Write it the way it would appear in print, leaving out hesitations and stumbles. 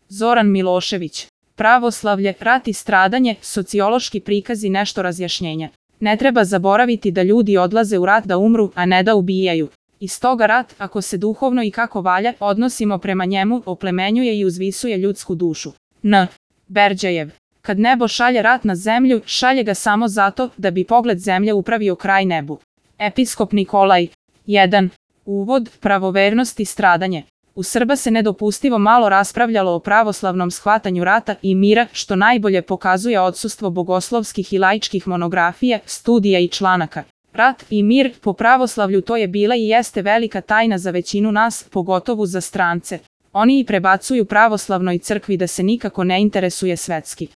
Zoran Milošević. Pravoslavlje, rat i stradanje, sociološki prikazi nešto razjašnjenja. Ne treba zaboraviti da ljudi odlaze u rat da umru, a ne da ubijaju. I stoga rat, ako se duhovno i kako valja odnosimo prema njemu, oplemenjuje i uzvisuje ljudsku dušu. N. Berđajev. Kad nebo šalje rat na zemlju, šalje ga samo zato da bi pogled zemlje upravio kraj nebu. Episkop Nikolaj. 1. Uvod, pravovernost i stradanje. U Srba se nedopustivo malo raspravljalo o pravoslavnom shvatanju rata i mira, što najbolje pokazuje odsustvo bogoslovskih i laičkih monografija, studija i članaka. Rat i mir, po pravoslavlju to je bila i jeste velika tajna za većinu nas, pogotovo za strance. Oni i prebacuju pravoslavnoj crkvi da se nikako ne interesuje svetski.